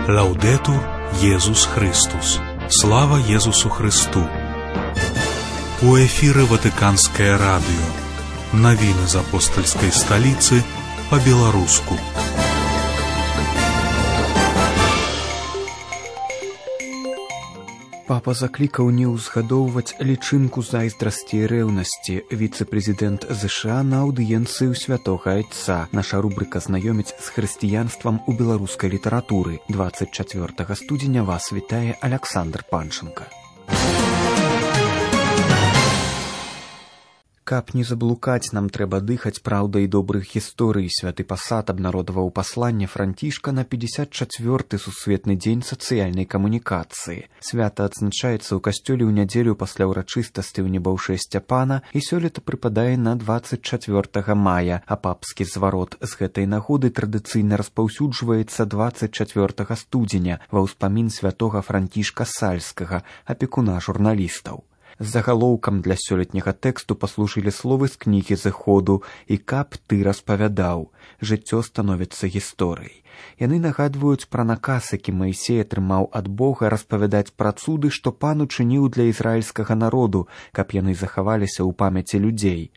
Лаўдэтур Езус Христус. Слава Езусу Христу. У эфіры Ватыканскае радыё. Навіны з апостальскай сталіцы па-беларуску. Папа заклікаў не ўзгадоўваць лічынку зайздрасці і рэўнасці. Віцэ-прэзідэнт ЗША на аўдыенцыі ў святога Айца. Наша рубрыка «Знаёміць з хрысціянствам у беларускай літаратуры». 24 студзеня вас вітае Аляксандр Панченка. Каб не заблукаць, нам трэба дыхаць праўдай добрых гісторый. Святы пасад абнародаваў пасланне Францішка на 54-й сусветны дзень сацыяльнай камунікацыі. Свята адзначаецца ў касцёле ў нядзелю пасля ўрачыстасці ў небаўшэ Сцяпана і сёлета прыпадае на 24 мая, а папскі зварот з гэтай нагоды традыцыйна распаўсюджваецца 24 студзеня ва ўспамін святога Францішка Сальскага, апекуна журналістаў. Загалоўкам для сёлетняга тэксту паслужылі словы з кнігі зыходу «І каб ты распавядаў». Жыццё становіцца гісторыяй. Яны нагадваюць пра наказ, які Маісей атрымаў ад Бога распавядаць пра цуды, што пан учыніў для ізраільскага народу, каб яны захаваліся ў памяці людзей.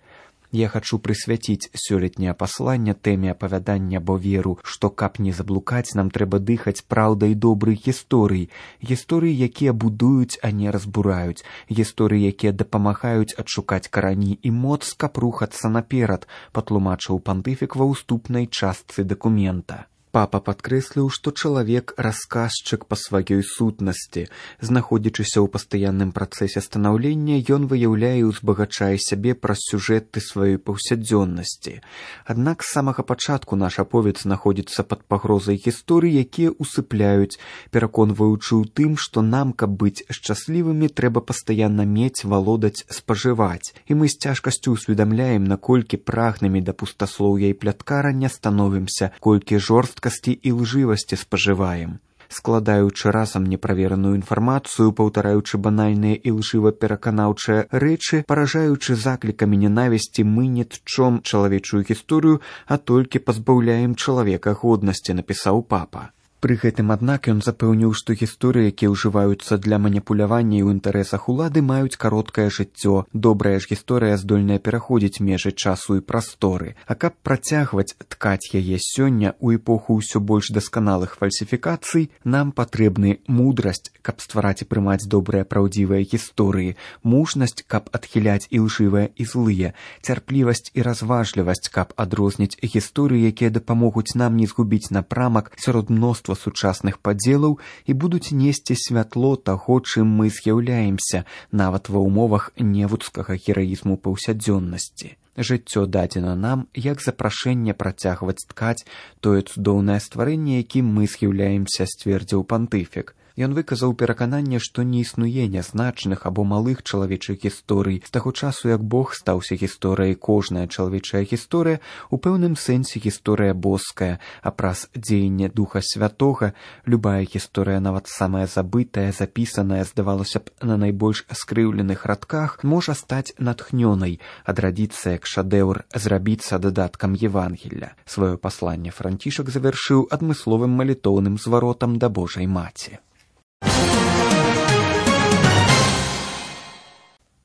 Я хачу прысвяціць сёлетняе пасланне тэме апавядання, бо веру, што каб не заблукаць, нам трэба дыхаць праўдай добрых гісторый. Гісторыі, якія будуюць, а не разбураюць. Гісторыі, якія дапамагаюць адшукаць карані і моц, каб рухацца наперад, патлумачыў пантыфік ва ўступнай частцы дакумента. Папа падкрэсліў, што чалавек расказчык па сваёй сутнасці. Знаходзячыся ў пастаянным працэсе станаўлення, ён выяўляе і ўзбагачае сябе праз сюжэты сваёй паўсядзённасці. Аднак з самага пачатку наш аповед знаходзіцца пад пагрозай гісторый, якія усыпляюць, пераконваючы ў тым, што нам, каб быць шчаслівымі, трэба пастаянна мець, валодаць, спажываць. І мы з цяжкасцю ўсведамляем, наколькі прагнымі да пустаслоўя і пляткарання становімся, колькі жорсткасці і лжывасці спажываем. Складаючы разам неправераную інфармацыю, паўтараючы банальныя і лжыва-пераканаўчыя рэчы, паражаючы заклікамі ненавісці, мы не тчом чалавечую гісторыю, а толькі пазбаўляем чалавека годнасці, напісаў папа. Пры гэтым, аднак, ён запэўніў, што гісторыі, якія ўжываюцца для маніпулявання ў інтарэсах улады, маюць кароткае жыццё. Добрая ж гісторыя здольная пераходзіць межы часу і прасторы. А каб працягваць ткаць яе сёння ў эпоху ўсё больш дасканалых фальсіфікацый, нам патрэбны мудрасць, каб ствараць і прымаць добрыя праўдзівыя гісторыі, мужнасць, каб адхіляць і лжывыя і злыя, цярплівасць і разважлівасць, каб адрозніць гісторыі, якія дапамогуць нам не згубіць напрамак сярод мноства сучасных падзелаў і будуць несці святло таго, чым мы з'яўляемся, нават ва ўмовах невуцкага гераізму паўсядзённасці. Жыццё дадзена нам як запрашэнне працягваць ткаць тое цудоўнае стварэнне, якім мы з'яўляемся, сцвердзіў пантыфік. Ён выказаў перакананне, што не існуе нязначных або малых чалавечых гісторый. З таго часу, як Бог стаўся гісторыяй, кожная чалавечая гісторыя у пэўным сэнсе гісторыя боская, а праз дзеянне Духа Святога любая гісторыя, нават самая забытая, запісаная, здавалося б, на найбольш скрыўленых радках, можа стаць натхнёнай, адрадзіцца як шэдэўр, зрабіцца дадаткам Евангелля. Сваё пасланне Францішак завяршыў адмысловым малітоўным зваротам да Божай Маці.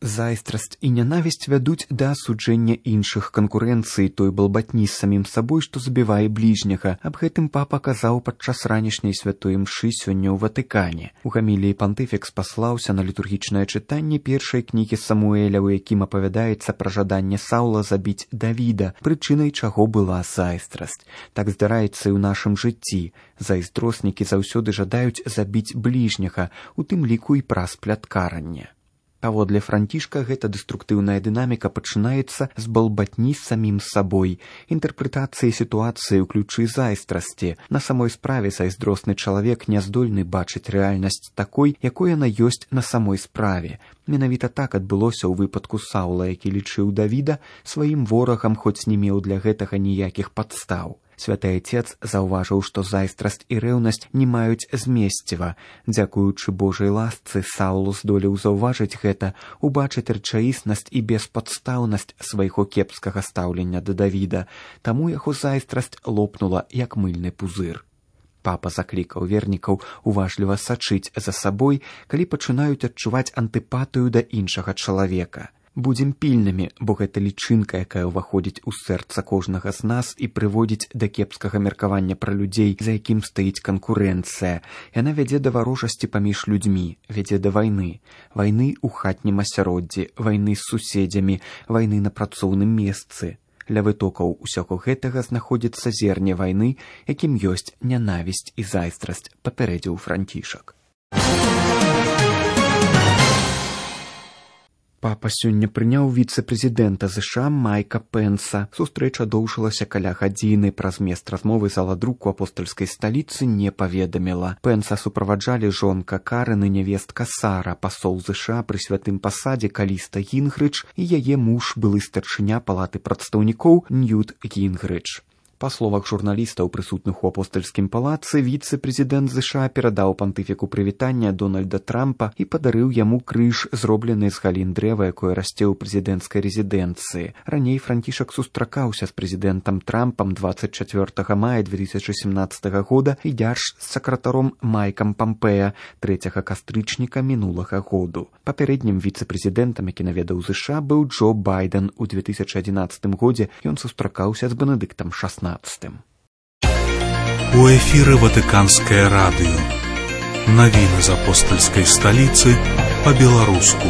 Зайздрасць і нянавісць вядуць да асуджэння іншых, канкурэнцыі, той балбатні з самім сабой, што забівае бліжняга. Аб гэтым папа казаў падчас ранішняй святой імшы сёння ў Ватыкане. У гаміліі пантыфік спаслаўся на літургічнае чытанне першай кнігі Самуэля, у якім апавядаецца пра жаданне Саўла забіць Давіда, прычынай чаго была зайздрасць. Так здараецца і ў нашым жыцці. Зайздроснікі заўсёды жадаюць забіць бліжняга, у тым ліку і праз пляткаранне. Паводле Францішка, гэта дэструктыўная дынаміка пачынаецца з балбатні з самім сабой, інтэрпрэтацыі сітуацыі ў ключы зайздрасці. На самой справе зайздросны чалавек не здольны бачыць рэальнасць такой, якой яна ёсць на самой справе. Менавіта так адбылося ў выпадку Саўла, які лічыў Давіда сваім ворагам, хоць не меў для гэтага ніякіх падстаў. Святы Айцец заўважыў, што зайздрасць і рэўнасць не маюць змесціва. Дзякуючы Божай ласцы, Саул здолеў заўважыць гэта, убачыць рэчаіснасць і беспадстаўнасць свайго кепскага стаўлення да Давіда, таму яго зайздрасць лопнула, як мыльны пузыр. Папа заклікаў вернікаў уважліва сачыць за сабой, калі пачынаюць адчуваць антыпатыю да іншага чалавека. Будзем пільнымі, бо гэта лічынка, якая ўваходзіць у сэрца кожнага з нас і прыводзіць да кепскага меркавання пра людзей, за якім стаіць канкурэнцыя. Яна вядзе да варожасці паміж людзьмі, вядзе да вайны. Вайны ў хатнім асяроддзі, вайны з суседзямі, вайны на працоўным месцы. Ля вытокаў усяго гэтага знаходзіцца зерне вайны, якім ёсць нянавісць і зайздрасць, папярэдзіў Францішак. Папа сёння прыняў віцэ-прэзідэнта ЗША Майка Пенса. Сустрэча доўжылася каля гадзіны. Пра змест размовы зала друку апостальскай сталіцы не паведаміла. Пенса суправаджалі жонка Карэн і нявестка Сара, пасол ЗША пры святым пасадзе Каліста Гінгрыч і яе муж, былы старшыня палаты прадстаўнікоў Ньют Гінгрыч. Па словах журналістаў, прысутных у апостальскім палацы, віцэ-прэзідэнт ЗША перадаў пантыфіку прывітання Дональда Трампа і падарыў яму крыж, зроблены з галін дрэва, якое расце ў прэзідэнцкай рэзідэнцыі. Раней Францішак сустракаўся з прэзідэнтам Трампам 24 мая 2017 года і дзяржсакратаром Майкам Пампеа 3 кастрычніка мінулага году. Папярэднім віцэ-прэзідэнтам, які наведаў ЗША, быў Джо Байден. У 2011 годзе ён сустракаўся з Бенедыктам XVI. У эфіры Ватыканскае радыё. Навіны з апостальскай сталіцы па-беларуску.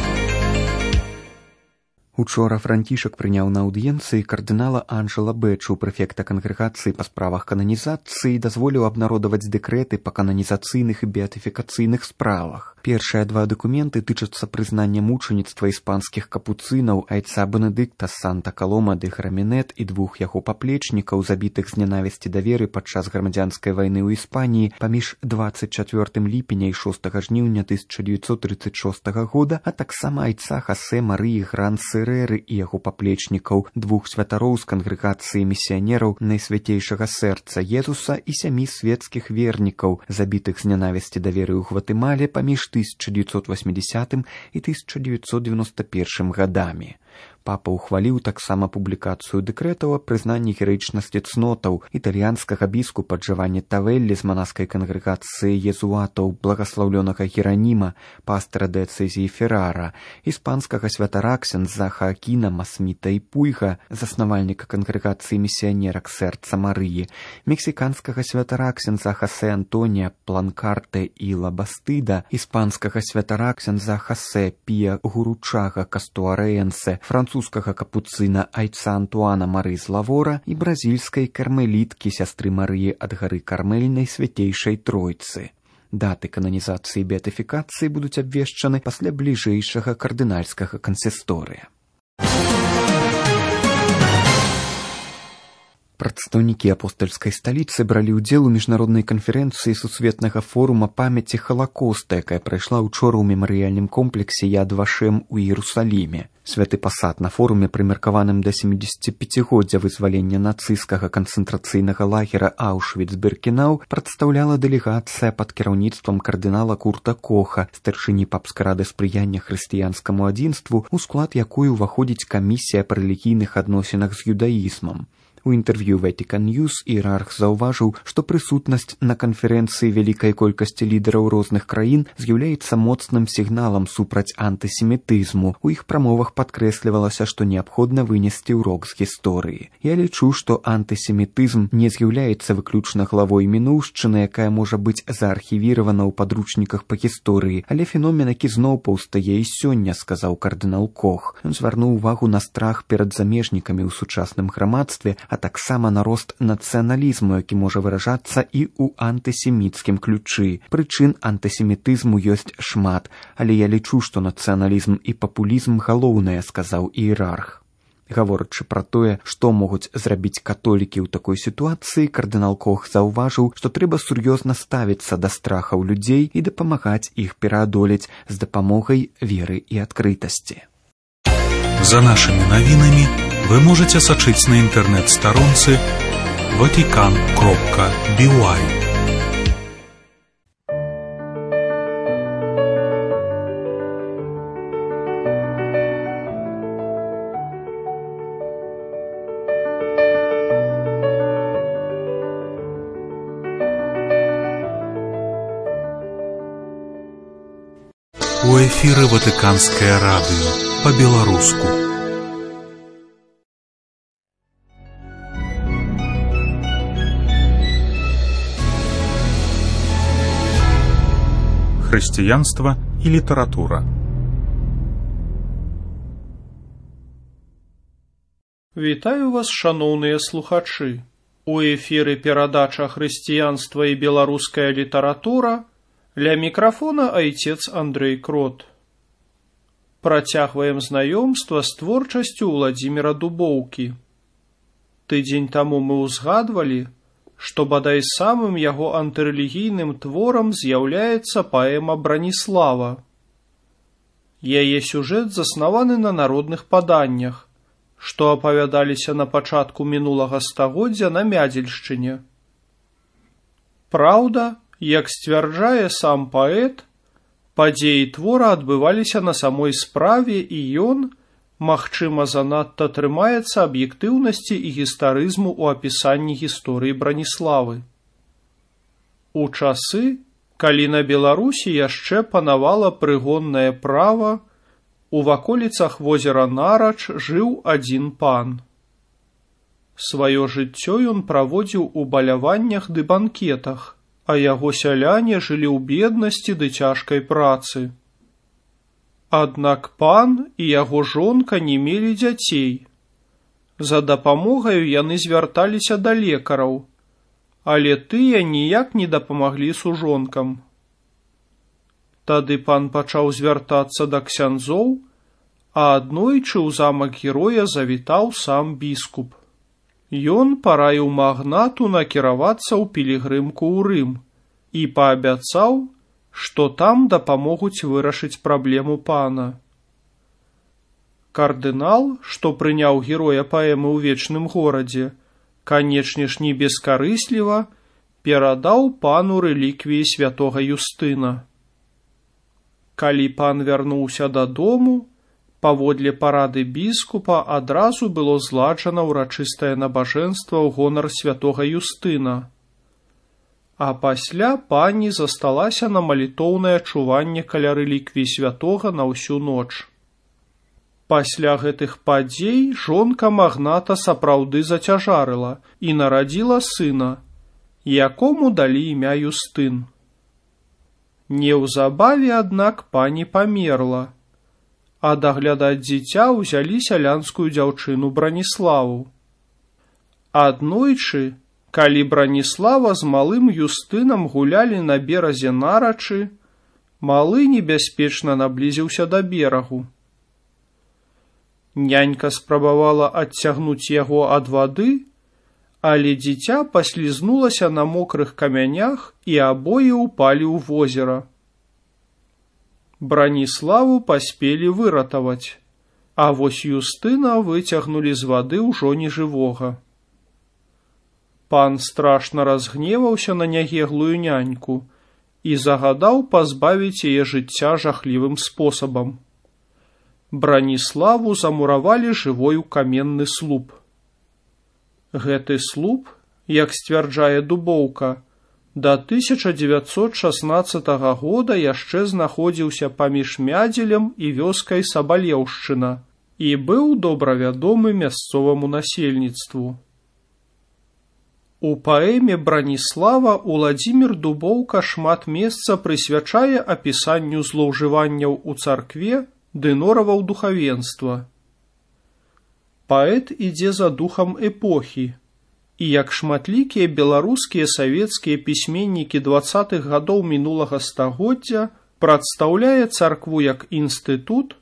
Учора Францішак прыняў на аўдыенцыі кардынала Анджела Бэчу, прэфекта кангрэгацыі па справах кананізацыі, дазволіў абнародаваць дэкрэты па кананізацыйных і беатыфікацыйных справах. Першыя два дакументы тычацца прызнання мучаніцтва іспанскіх капуцынаў, айца Бенедыкта з Санта-Калома де Грамінет і двух яго паплечнікаў, забітых з нянавісці да веры падчас грамадзянскай вайны ў Іспаніі паміж 24 ліпеня і 6 жніўня 1936 года, а таксама айца Хасе Марыі Гран-Сэрэры і яго паплечнікаў, двух святароў з кангрэгацыі місіянераў Найсвяцейшага сэрца Езуса і 7 свецкіх вернікаў, забітых з нянавісці да веры ў Гватэмале паміж 1980 і 1991 гадамі. Папа ўхваліў таксама публікацыю дэкрэтаў аб прызнанні гераічнасці цнотаў італьянскага біскупа Джаванні Тавеллі з манаскай кангрэгацыі езуатаў, благаслаўлёнага Гераніма, пастара дыяцэзіі Феррара, іспанскага святара ксяндза Хаакіна Масміта і Пуйга, заснавальніка кангрэгацыі місіянерак сэрца Марыі, мексіканскага святара ксяндза Хасе Антонія Планкарте і Лабастыда, іспанскага святара ксяндза Хасе Пія Гуручага Кастуарэенсе, французскага капуцына айца Антуана Мары з Лавора і бразільскай кармеліткі сястры Марыі ад гары Кармельнай Свяцейшай Тройцы. Даты кананізацыі і беатыфікацыі будуць абвешчаны пасля бліжэйшага кардынальскага кансісторыя. Прадстаўнікі апостальскай сталіцы бралі ўдзел у міжнароднай канферэнцыі сусветнага форума памяці Халакоста, якая прайшла ўчора ў мемарыяльным комплексе Яд Вашем у Іерусаліме. Святы пасад на форуме, прымеркаваным да 75-годдзя вызвалення нацысцкага канцэнтрацыйнага лагера Аўшвіц-Біркенау, прадстаўляла дэлегацыя пад кіраўніцтвам кардынала Курта Коха, старшыні папскай рады спрыяння хрысціянскаму адзінству, у склад якой уваходзіць камісія па рэлігійных адносінах з юдаізмам. У інтэрв'ю Vatican News іерарх заўважыў, што прысутнасць на канферэнцыі вялікай колькасці лідараў розных краін з'яўляецца моцным сігналам супраць антысемітызму. У іх прамовах падкрэслівалася, што неабходна вынесці ўрок з гісторыі. Я лічу, што антысемітызм не з'яўляецца выключна главой мінуўшчыны, якая можа быць заархівіравана ў падручніках па гісторыі, але феномен, які зноў паўстае і сёння, сказаў кардынал Кох. Ён звярнуў увагу на страх перад замежнікамі ў сучасным грамадстве, а таксама на рост нацыяналізму, які можа выражацца і ў антысеміцкім ключы. Прычын антысемітызму ёсць шмат, але я лічу, што нацыяналізм і папулізм галоўнае, сказаў іерарх. Гаворачы пра тое, што могуць зрабіць католікі ў такой сітуацыі, кардынал Кох заўважыў, што трэба сур'ёзна ставіцца да страхаў людзей і дапамагаць іх пераадолець з дапамогай веры і адкрытасці. За нашымі навінамі вы можете сачыць на інтэрнэт-старонцы vatican.by. эфіры Ватыканскае радыё па-беларуску. Хрысціянства і літаратура. Вітаю вас, шаноўныя слухачы. У эфіры перадача «Хрысціянства і беларуская літаратура», ля мікрафона айцец Андрэй Крот. Працягваем знаёмства з творчасцю Уладзіміра Дубоўкі. Тыдзень таму мы ўзгадвалі, што бадай самым яго антырэлігійным творам з'яўляецца паэма «Браніслава». Яе сюжэт заснаваны на народных паданнях, што апавядаліся на пачатку мінулага стагоддзя на Мядзельшчыне. Праўда, як сцвярджае сам паэт, падзеі твора адбываліся на самой справе і ён, магчыма, занадта трымаецца аб'ектыўнасці і гістарызму ў апісанні гісторыі Браніславы. У часы, калі на Беларусі яшчэ панавала прыгоннае права, у ваколіцах возера Нарач жыў адзін пан. Сваё жыццё ён праводзіў у баляваннях ды банкетах, а яго сяляне жылі ў беднасці ды цяжкай працы. Аднак пан і яго жонка не мелі дзяцей. За дапамогаю яны звярталіся да лекараў, але тыя ніяк не дапамаглі сужонкам. Тады пан пачаў звяртацца да ксяндзоў, а аднойчы ў замак героя завітаў сам біскуп. Ён параіў магнату накіравацца ў пілігрымку ў Рым і паабяцаў, што там дапамогуць вырашыць праблему пана. Кардынал, што прыняў героя паэмы ў вечным горадзе, канечне ж не бескарысліва, перадаў пану рэліквіі святога Юстына. Калі пан вярнуўся дадому, паводле парады біскупа адразу было зладжана ўрачыстае набажэнства ў гонар святога Юстына. А пасля пані засталася на малітоўнае чуванне каля рэліквій святога на ўсю ноч. Пасля гэтых падзей жонка магната сапраўды зацяжарыла і нарадзіла сына, якому далі імя Юстын. Неўзабаве, аднак, пані памерла, а даглядаць дзіця ўзялі сялянскую дзяўчыну Браніславу. Аднойчы, калі Браніслава з малым Юстынам гулялі на беразе Нарачы, малы небяспечна наблізіўся да берагу. Нянька спрабавала адцягнуць яго ад вады, але дзіця паслізнулася на мокрых камянях і абое ўпалі ў возера. Браніславу паспелі выратаваць, а вось Юстына выцягнулі з вады ўжо нежывога. Пан страшна разгневаўся на нягеглую няньку і загадаў пазбавіць яе жыцця жахлівым спосабам. Браніславу замуравалі жывой у каменны слуп. Гэты слуп, як сцвярджае Дубоўка, да 1916 года яшчэ знаходзіўся паміж Мядзелем і вёскай Сабалеўшчына і быў добра вядомы мясцоваму насельніцтву. У паэме «Браніслава» Уладзімір Дубоўка шмат месца прысвячае апісанню злоўжыванняў у царкве ды нораваў духавенства. Паэт ідзе за духам эпохі, і як шматлікія беларускія савецкія пісьменнікі 20-х гадоў мінулага стагоддзя прадстаўляе царкву як інстытут,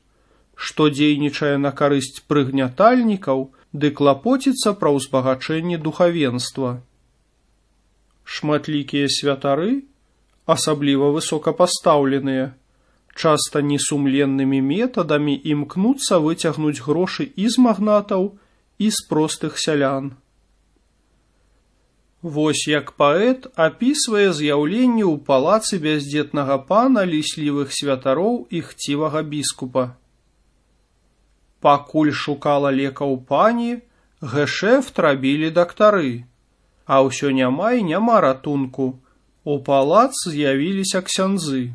што дзейнічае на карысць прыгнятальнікаў ды клапоціцца пра ўзбагачэнне духавенства. Шматлікія святары, асабліва высокапастаўленыя, часта несумленнымі метадамі імкнуцца выцягнуць грошы і з магнатаў, і з простых сялян. Вось як паэт апісвае з'яўленне ў палацы бяздзетнага пана ліслівых святароў і хцівага біскупа. Пакуль шукала лекаў пані, гэшэфт рабілі дактары, а ўсё няма і няма ратунку. У палац з'явіліся ксяндзы.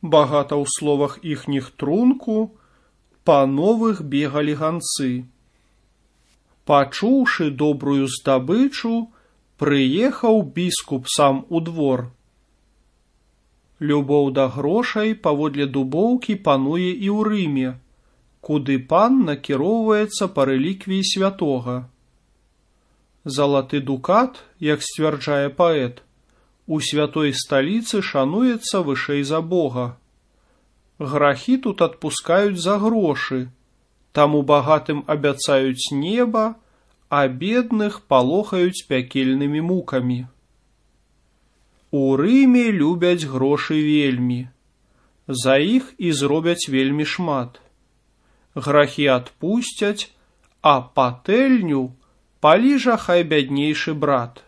багата ў словах іхніх трунку, па новых бегалі ганцы. Пачуўшы добрую здабычу, прыехаў біскуп сам у двор. Любоў да грошай паводле дубоўкі пануе і ў Рыме, куды пан накіроўваецца па рэліквіі святога. Залаты дукат, як сцвярджае паэт, у святой сталіцы шануецца вышэй за Бога. Грахі тут адпускаюць за грошы, таму багатым абяцаюць неба, а бедных палохаюць пякельнымі мукамі. У Рыме любяць грошы вельмі, за іх і зробяць вельмі шмат. Грахі адпусцяць, а патэльню паліжа хай бяднейшы брат.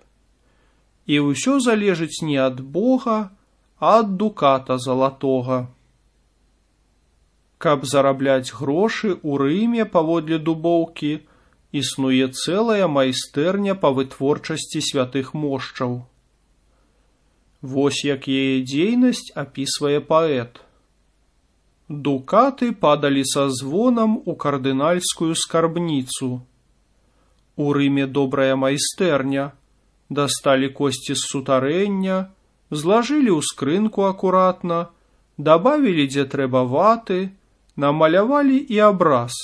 І ўсё залежыць не ад Бога, а ад дуката залатога. Каб зарабляць грошы ў Рыме паводле дубоўкі, існуе цэлая майстэрня па вытворчасці святых мошчаў. Вось як яе дзейнасць апісвае паэт. Дукаты падалі са звонам у кардынальскую скарбніцу. У Рыме добрая майстэрня. Дасталі косці з сутарэння, злажылі ў скрынку акуратна, дабавілі дзе трэба ваты, намалявалі і абраз.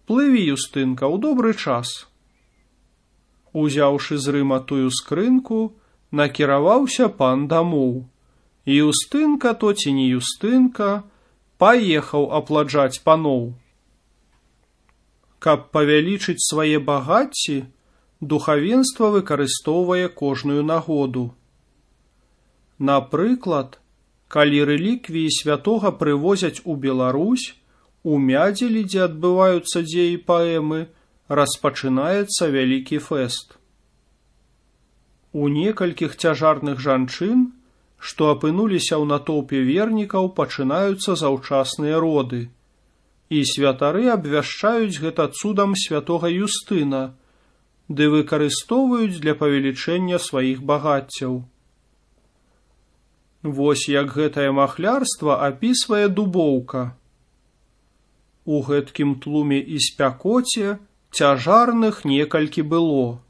Плыві, Юстынка, ў добры час. Узяўшы з Рыма тую скрынку, накіраваўся пан дамоў. Юстынка, то ці не Юстынка, паехаў апладжаць паноў. Каб павялічыць свае багацці, духавенства выкарыстоўвае кожную нагоду. Напрыклад, калі рэліквіі святога прывозяць у Беларусь, у Мядзелі, дзе адбываюцца дзеі паэмы, распачынаецца вялікі фэст. У некалькіх цяжарных жанчын, што апынуліся ў натоўпе вернікаў, пачынаюцца заўчасныя роды, і святары абвяшчаюць гэта цудам святога Юстына, ды выкарыстоўваюць для павелічэння сваіх багаццяў. Вось як гэтае махлярства апісвае дубоўка. У гэткім тлуме і спякоце цяжарных некалькі было.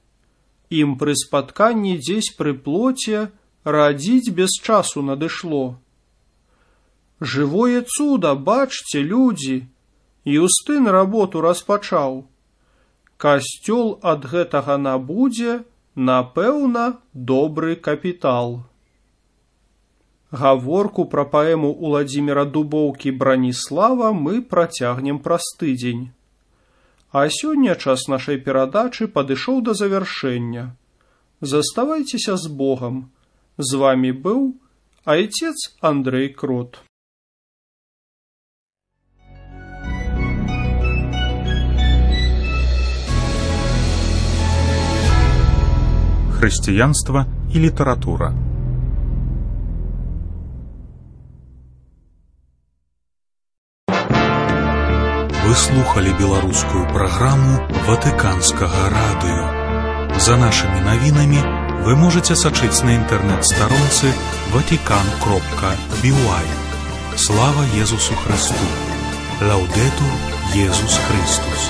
Ім пры спатканні дзесь пры плоце радзіць без часу надышло. Жывое цуда, бачце, людзі, Юстын работу распачаў. Касцёл ад гэтага набудзе, напэўна, добры капітал. Гаворку пра паэму Уладзіміра Дубоўкі «Браніслава» мы працягнем праз тыдзень. А сёння час нашай перадачы падышоў да завяршэння. Заставайцеся з Богам. З вамі быў айцец Андрэй Крот. Хрысціянства і літаратура. Вы слухали беларускую праграму Ватыканскага радыё. За нашымі навінамі вы можаце сачыць на інтэрнэт-старонцы vatican.by. Слава Езусу Христу! Лаўдэтур Езус Христус!